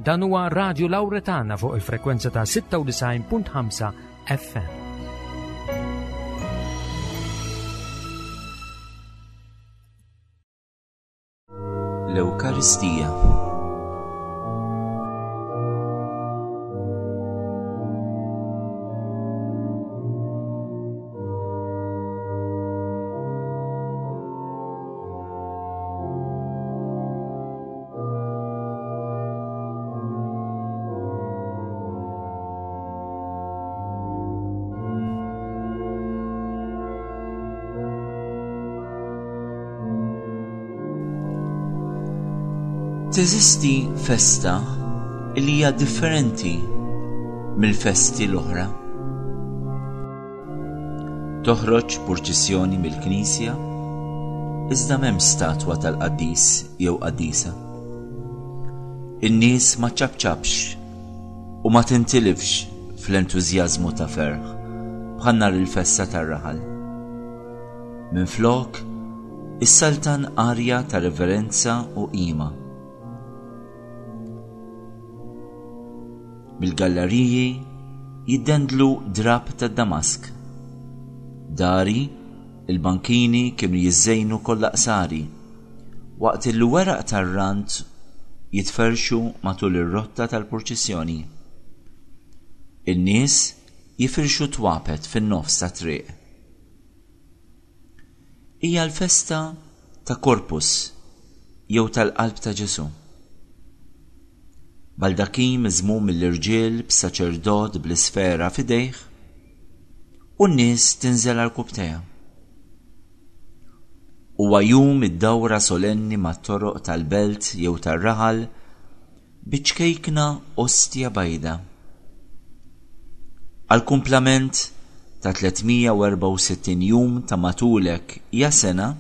Dan huwa Radio Lauretana fuq il-frekwenza ta' 96.5 FM. L-Ewkaristija. Teżisti festa li hija differenti mill-festi l-oħra. Toħroġ purċissjoni mill-knisja, iżda m'hemmx statwa tal-qaddis jew qaddisa. In-nies ma ċċapċapx u ma tintilifx fl-entużjażmu ta' ferħ bħal nhar il-festa tar-raħal. Minflok, issaltan arja ta' reverenza u qima. Mill-gallariji jiddendlu drapp tad-damask. Dari, il-bankini kienu jiżżejnu kollha qsari, waqt illi weraq tar-rand jitferrxu matul ir-rotta tal-purċissjoni. In-nies jifirxu twapet fin-nofs tat-triq. Hija l-festa ta' Corpus jew tal-Qalb ta' Ġesù. Baldakin miżmum mill-irġiel b'saċerdot bl-isfera f'idejh u n-nies tinżel għarkupptejha. Huwa jum id-dawra solenni mat-toroq tal-belt jew tar-raħal biċ-ċkejkna ostja bajda. Għall-kumplament ta' 364 jum ta' matulek ja sena,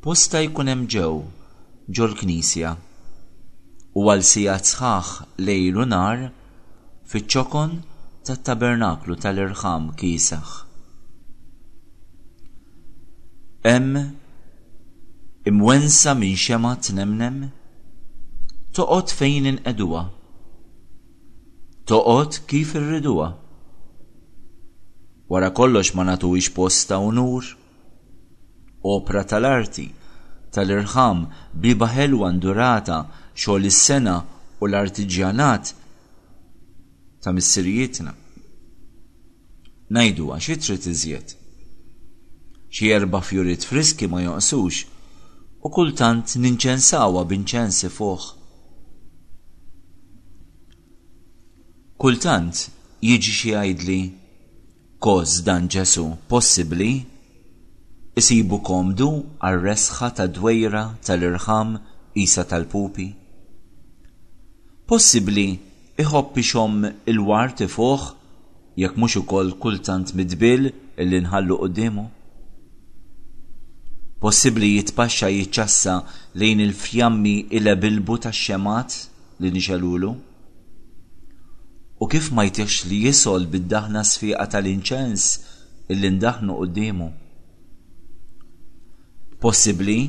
postha jkun hemm ġew ġol-knisja u għal sigħat sħaħ lejl u nhar fiċ-ċokon tat-tabernaklu tal-irħam kiesaħ. Hemm, imwennsa minn xemgħa tnemnem, toqgħod fejn inqegħduha. Toqgħod kif irriduha. Wara kollox ma nagħtuhiex post ta' unur. Opra tal-arti, tal-irħam, bieba ħelwa ndurata, xogħol is-sengħa u l-artiġjanat ta' missirijietna. Ngħiduha, xi trid iżjed? Xi erba' fjuriet friski ma jonqsux u kultant ninċensawha b'inċens ifuħ. Kultant jiġi xi jgħidli, Kos dan Ġesù, possibbli? Isibu komdu għar-resħa tad-dwejra tal-irħam qisha tal-pupi? Possibbli iħobb ixomm il-ward ifuħ jekk mhux ukoll kultant mid-dbiel illi nħallu quddiemu? Possibbli jitpaxxa jiċċassa lejn il-fjammi ilebilbu tax-xemgħat li nixegħlulu? U kif ma jtihx li jisgħol bid-daħna sfiqa tal-inċens illi ndaħħnu quddiemu? Possibbli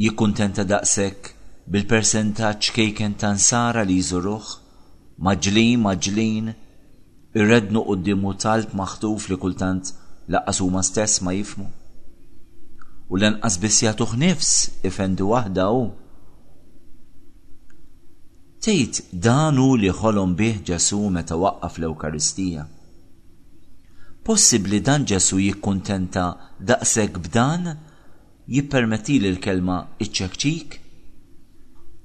jikkuntenta daqshekk bil-persentaġġ ċkejken ta' Nsara li jżuruh, mgħaġġlin mgħaġġlin, ireddnu quddiemu talb maħtuf li kultant lanqas huma stess ma jifhmu? U lanqas biss jagħtuh nifs ifendi waħda hu. Tgħid dan hu li ħolom bih Ġesù meta waqqaf l-Ewkaristija? Possibbli dan Ġesù jikkuntenta daqshekk b'dan? Jippermettili l-kelma iċ-ċekċik?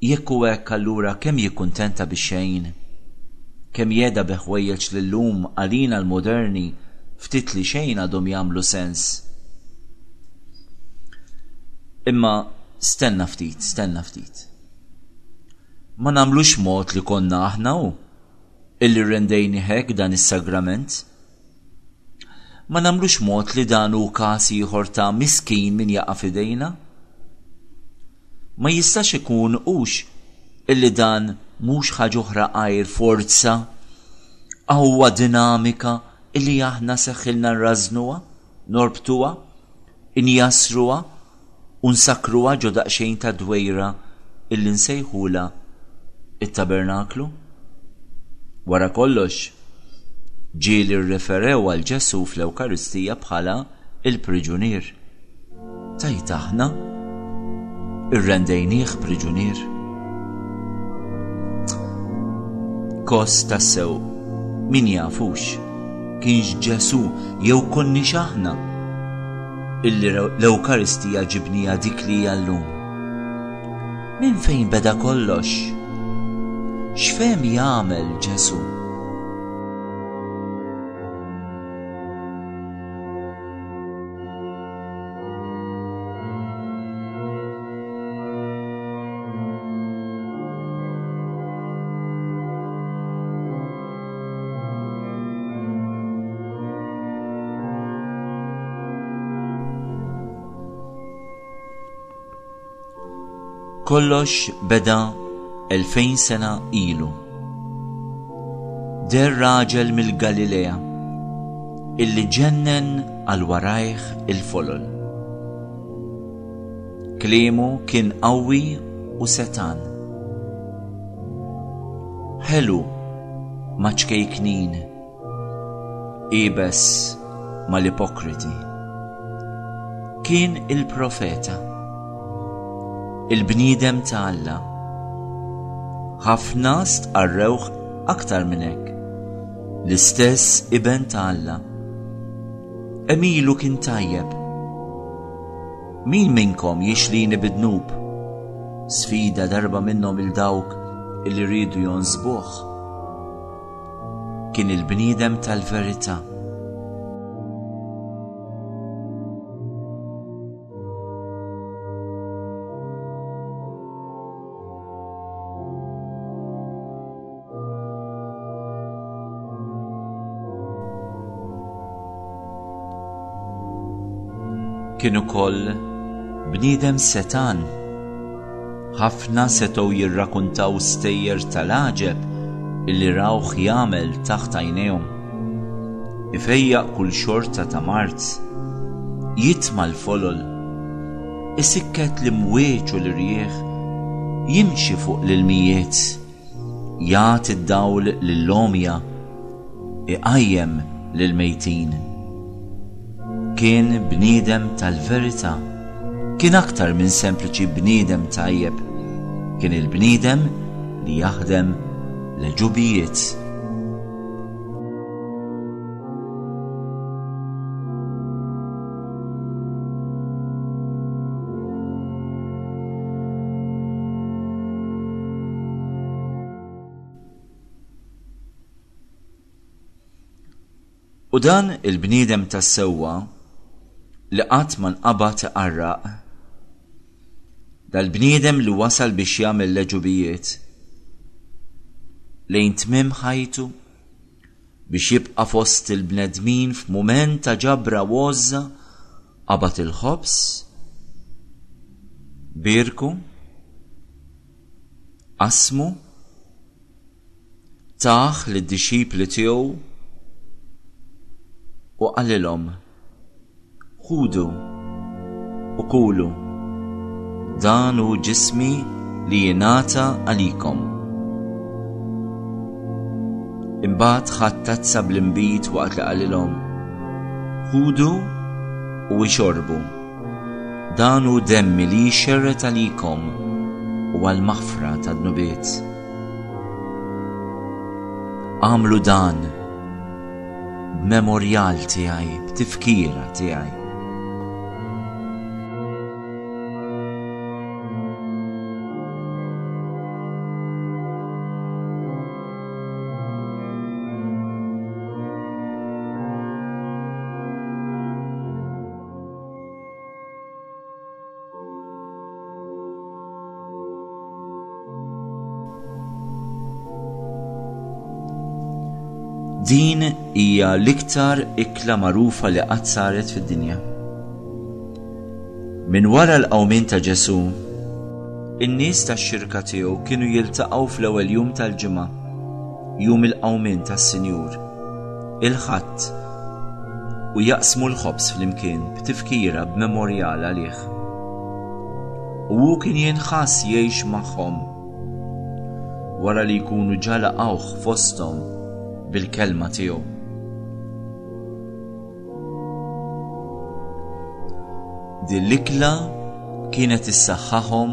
Jekk hu hekk allura kemm jikkuntenta bix-xejn? Kemm jehda bi ħwejjeġ li llum għalina l-moderni ftit li xejn għadhom jagħmlu sens? Imma stenna ftit, stenna ftit. Ma nagħmlux mod li konna aħna hu illi rrendejnih hekk dan is-sagrament. Ma nagħmlux mod li dan hu każ ieħor ta' miskin min jaqa' f'idejna? Ma jistax ikun hux illi dan mhux ħaġa oħra għajr forza, qawwa dinamika illi aħna seħħilna nrażżnuha, norbtuha, injassruha u nsakkruha ġo daqsxejn ta' dwejra illi nsejħulha. It-tabernaklu? Wara kollox, ġieli rreferew għal Ġesù fl-Ewkaristija bħala il-priġunier. Tajt aħna irrendejnieh priġunier. Kos tassew, min jafux, kienx Ġesù jew konniex aħna illi l-Ewkaristija ġibnija dik li hija llum. Minn fejn beda kollox? X'fehem jagħmel Ġesù? Kollox beda 2000 sena ilu. Der raġel mill-Galilea illi ġennen għal warajh il-folol. Kliemu kien qawwi u setan. Ħelu ma' ċkejknin Iebes mal-ipokriti. Kien il-profeta, il-bniedem ta' Alla. Ħafna stqarrewh aktar minn hekk, l-istess iben ta' Alla. Emilu kien tajjeb. Min minnkom jixlini bid-dnub? Sfida darba minnhom il dawk li riedu jonsbuh. Kien il-bniedem tal-verità. Kien ukoll bniedem setgħan. Ħafna setgħu jirrakuntaw stejjer tal-għaġeb illi rawh jagħmel taħt għajnejhom. Ifejjaq kull xorta ta' mard, jitma' l-folol, isikket l-imwieġ u l-irjieħ, jimxi fuq l-ilmijiet. Jagħti d-dawl lill-għomja, iqajjem lill-mejtin. Kien bniedem tal-verità. Kien aktar minn sempliċi bniedem tajjeb. Kien il-bniedem li jaħdem l-għeġubijiet. U dan il-bniedem tas-sewwa li qatt ma nqabad iqarraq, dal-bniedem li wasal biex jagħmel l-għeġubijiet, lejn tmiem ħajtu, Biex jibqa' fost il-bnedmin f'mument ta' ġabra u għożża, qabad il-ħobż, bierku, qasmu, tah lid-dixxipli tiegħu u qalilhom, Ħudu u kulu, dan hu ġismi li jingħata għalikom. Imbagħad ħadd tazza bl-inbid waqt li qalilhom, Ħudu u ixorbu. Dan hu demmi li jxerred għalikom u għall-maħfra tad-dnubiet. Agħmlu dan b'memorjal tiegħi, b'tifkira tiegħi. Din hija l-iktar ikla magħrufa li qatt saret fid-dinja. Minn wara l-qawmien ta' Ġesù, in-nies tax-xirka tiegħu kienu jiltaqgħu fl-ewwel jum tal-ġimgħa, jum il-qawmien tas-Sinjur, il-Ħadd, u jaqsmu l-ħobż flimkien b'tifkira b'memorjal għalih. U hu kien jinħass jgħix magħhom. wara li jkunu ġa laqgħuh fosthom bil-kelma tiegħu. Din l-ikla kienet issaħħaħhom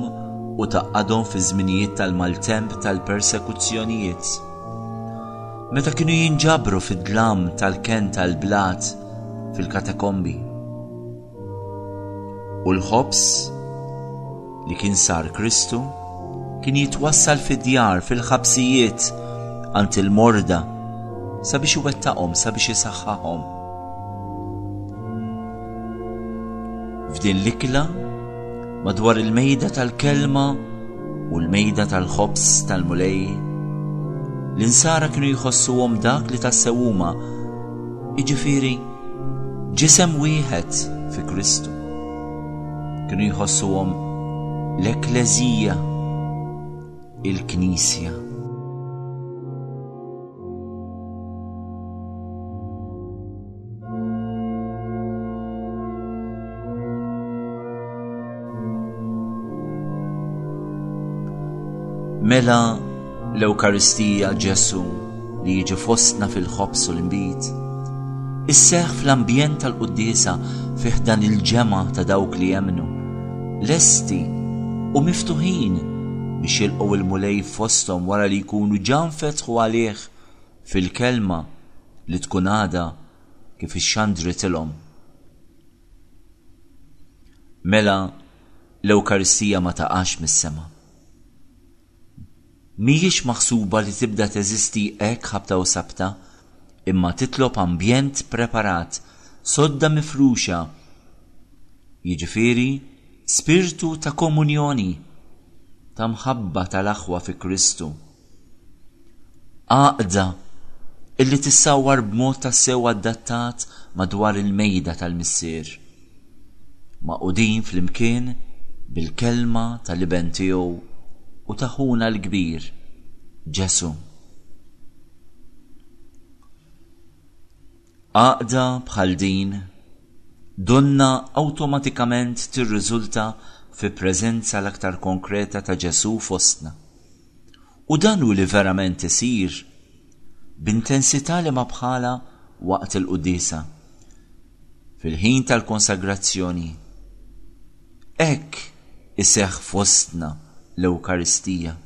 u tgħaqqadhom fi żminijiet tal-maltemp tal-persekuzzjonijiet. Meta kienu jinġabru fid-dlam tal-kenn tal-blat fil-katakombi. U l-ħobż li kien sar Kristu kien jitwassal fid-djar, fil-ħabsijiet, għand il-morda, sabiex iwettaqhom, sabiex isaħħahom. F'din l-ikla, madwar il-mejda tal-kelma u l-mejda tal-ħobż tal-Mulej, l-insara kienu jħossuhom dak li tassew huma, jiġifieri ġisem wieħed fi Kristu. Kienu jħossuhom l-Ekkleżija, il-Knisja. Mela l-Ewkaristija Ġesù li jiġi fostna fil-ħobż u l-inbid, isseħħ fl-ambjent tal-quddiesa fi ħdan il-ġemgħa ta' dawk li jemmnu, lesti u miftuħin biex jilqgħu l-Mulej fosthom wara li jkunu ġa nfetħu għalih fil-kelma li tkun għadha kif ixxandritilhom. Mela l-Ewkaristija ma taqax mis-sema. Mhijiex maħsuba li tibda teżisti hekk ħabta u sabta, imma titlob ambjent preparat, sodda mifruxa, jiġifieri spirtu ta' komunjoni, ta' mħabba tal-aħwa fi Kristu. Għaqda illi tissawwar b'mod tassew adattat madwar il-mejda tal-Missier, magħqudin flimkien bil-kelma tal-Iben tiegħu u ta' Ħuna l-Kbir, Ġesù. Għaqda bħal din donnha awtomatikament tirriżulta fi preżenza l-aktar konkreta ta' Ġesù fostna. U dan hu li verament isir b'intensità li ma bħalha waqt il-quddiesa, fil-ħin tal-konsagrazzjoni. Hekk iseħħ fostna l-Ewkaristija.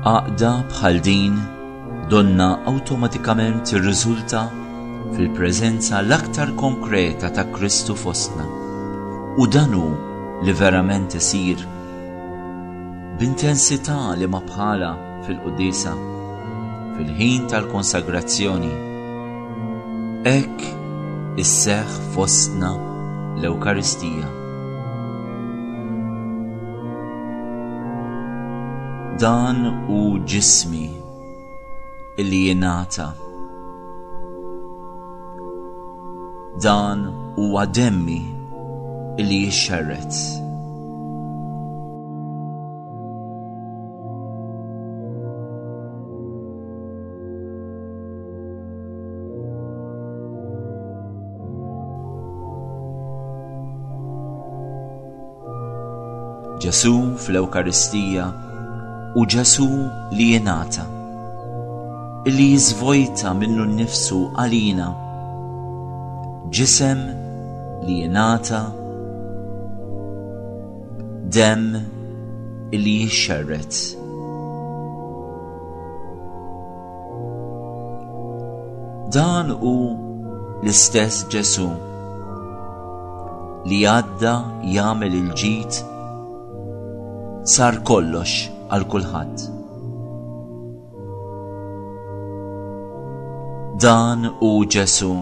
Għaqda bħal din donna awtomatikament tirriżulta fil-preżenza l-aktar konkreta ta' Kristu fostna. U dan hu li verament isir b'intensità li ma bħala fil-quddiesa, fil-ħin tal-konsagrazzjoni. Hekk isseħħ fostna l-Ewkaristija. Dan hu ġismi illi jingħata. Dan huwa demmi illi jixxerred. Ġesù fl-Ewkaristija u Ġesù li jingħata, illi jiżvojta minnu nnifsu għalina, ġisem li jingħata, demm illi jixxerred. Dan hu l-istess Ġesù li għadda jagħmel il-ġid sar kollox għal kulħadd. Dan hu Ġesù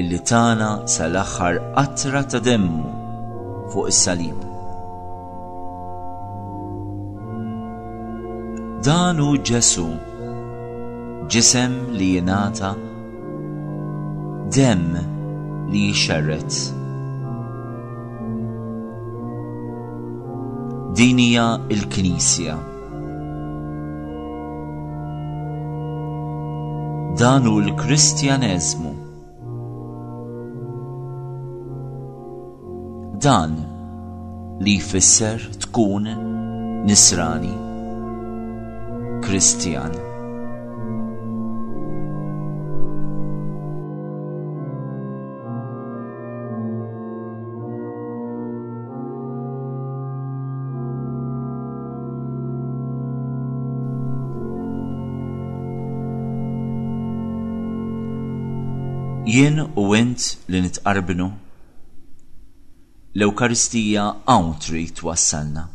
illi tana sal-aħħar qatra ta' demmu fuq is-salib. Dan hu Ġesù, ġisem li jingħata, demm li jixxerred. Din hija l-Knisja. Dan hu l-Kristjaneżmu. Dan li jfisser tkun nisrani, Kristjan. Jien u int li nitqarbnu, l-Ewkaristija hawn trid twassalna.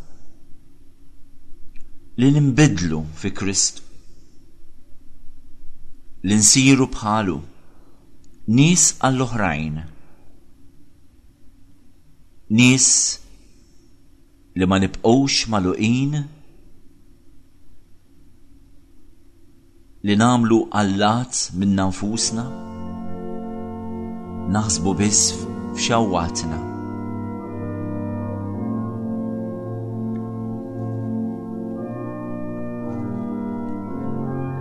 Li ninbidlu fi Kristu. Li nsiru bħalu, nies għall-oħrajn. Nies li ma nibqgħux magħluqin, li nagħmlu allat minna nfusna, naħsbu biss f'xawwatna.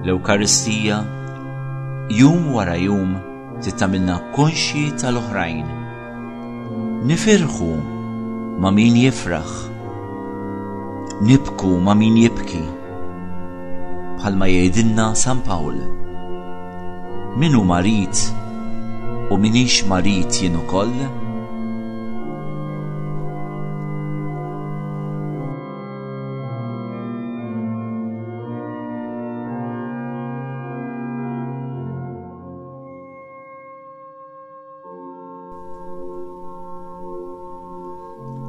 L-Ewkaristija jum wara jum Trid tagħmilna konxji tal-oħrajn. Nifirħu ma' min jifraħ. Nibku ma' min jibki. Bħalma jgħidilna San Pawl. Min hu marid u minix marid jien ukoll?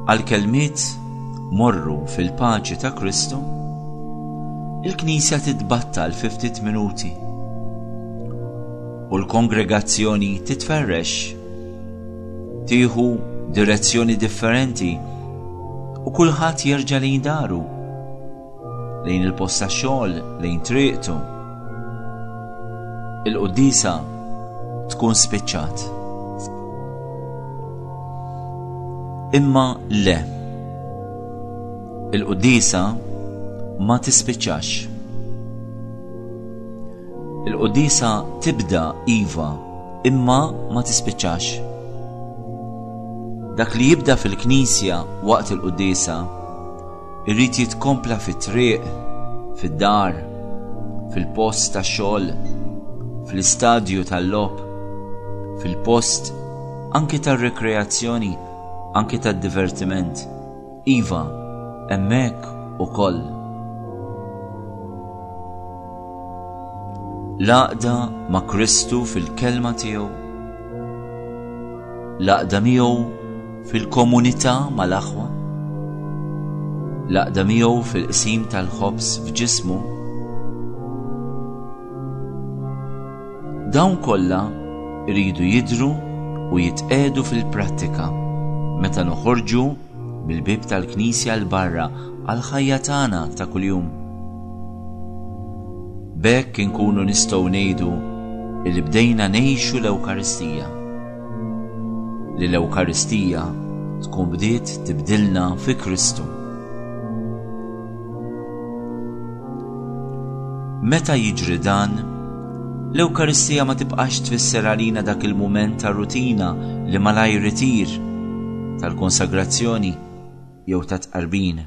Għall-kelmiet morru fil-paċi ta' Kristu, il-Knisja titbattal fi ftit minuti u l-kongregazzjoni titferrex, tieħu direzzjoni differenti u kulħadd jerġa' lejn daru. lejn il-post tax-xogħol, lejn triqtu. Il-quddiesa tkun spiċċat. Imma le. Il-quddiesa ma tispiċċax. Il-quddiesa tibda iva, imma ma tispiċċax. Dak li jibda fil-knisja waqt il-quddiesa Irid jitkompla fit-triq, fid-dar, fil-post tax-xogħol, fl-istadju tal-logħob, fil-post anki tar-rikreazzjoni, anki tad-divertiment. Iva, hemmhekk ukoll. L-għaqda ma' Kristu fil-kelma tiegħu, l-għaqda miegħu fil-komunità mal-aħwa, l-għaqda miegħu fil-qsim tal-ħobż f'ġismu. Dawn kollha jridu jidhru u jitqiegħdu fil-prattika meta noħorġu mill-bieb tal-knisja 'l barra għall-ħajja tagħna ta' kuljum. B'hekk inkunu nistgħu ngħidu li bdejna ngħixu l-Ewkaristija. Li l-Ewkaristija tkun bdiet tibdilna fi Kristu. Meta jiġri dan, l-Ewkaristija ma tibqax tfisser għalina dak il-mument ta' rutina li malajr itir tal-konsagrazzjoni jew ta' tqarbin.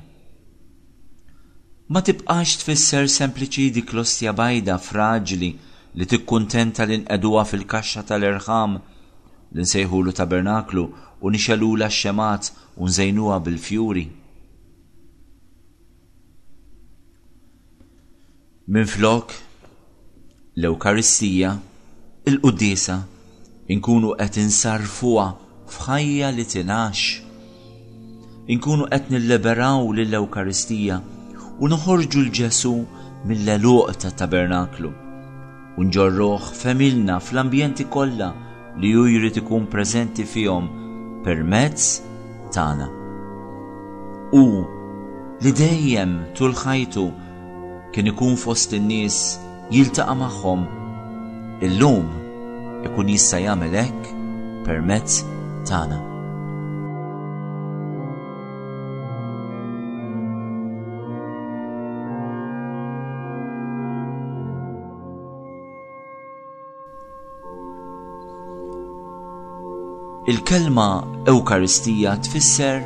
Ma tibqax tfisser sempliċi dik l-ostja bajda fraġli li tikkuntenta li nqegħduha fil-kaxxa tal-irħam li nsejħulu tabernaklu u nixegħlulha x-xemgħat u nżejnuha bil-fjuri. Minflok, l-Ewkaristija, il-Quddiesa, inkunu qed insarrfuha f'ħajja li tingħax. Inkunu qed nilliberaw lill-Ewkaristija u noħorġu 'l Ġesù mill-għeluq tat-tabernaklu u nġorruh f'għemilna fl-ambjenti kollha li hu jrid ikun preżenti fihom permezz tagħna. Hu li dejjem tul ħajtu kien ikun fost in-nies jiltaqa' magħhom, illum ikun jista' jagħmel hekk permezz tagħna. Il-kelma Ewkaristija tfisser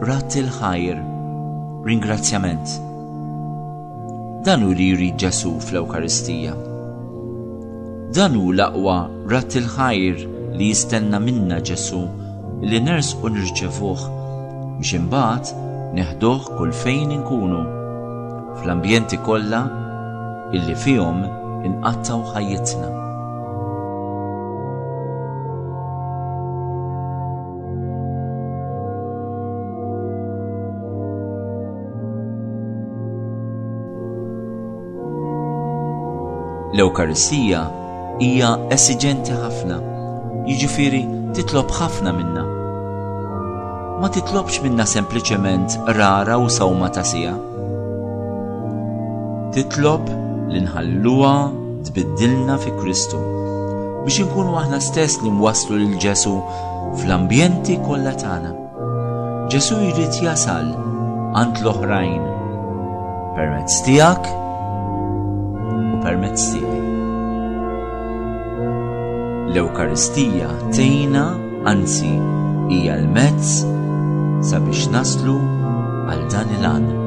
radd il-ħajr, ringrazzjament. Dan hu li jrid Ġesù fl-Ewkaristija. Dan hu l-aqwa radd il-ħajr li jistenna minna Ġesù li nersqu nirċevuh biex imbagħad neħduh kull fejn inkunu, fl-ambjenti kollha illi fihom inqattgħu ħajjitna. L-Ewkaristija hija esiġenti ħafna, jiġifieri titlob ħafna minna. Ma titlobx minna sempliċement rara u sawma ta' siegħa. Titlob li nħalluha tbiddilna fi Kristu biex inkunu aħna stess li nwasslu lil Ġesù fl-ambjenti kollha tagħna. Ġesù jrid jasal għand l-oħrajn permezz tiegħek u permezz tiegħi. L-Ewkaristija tgħinna, anzi hija l-mezz sabiex naslu għal dan il-għan.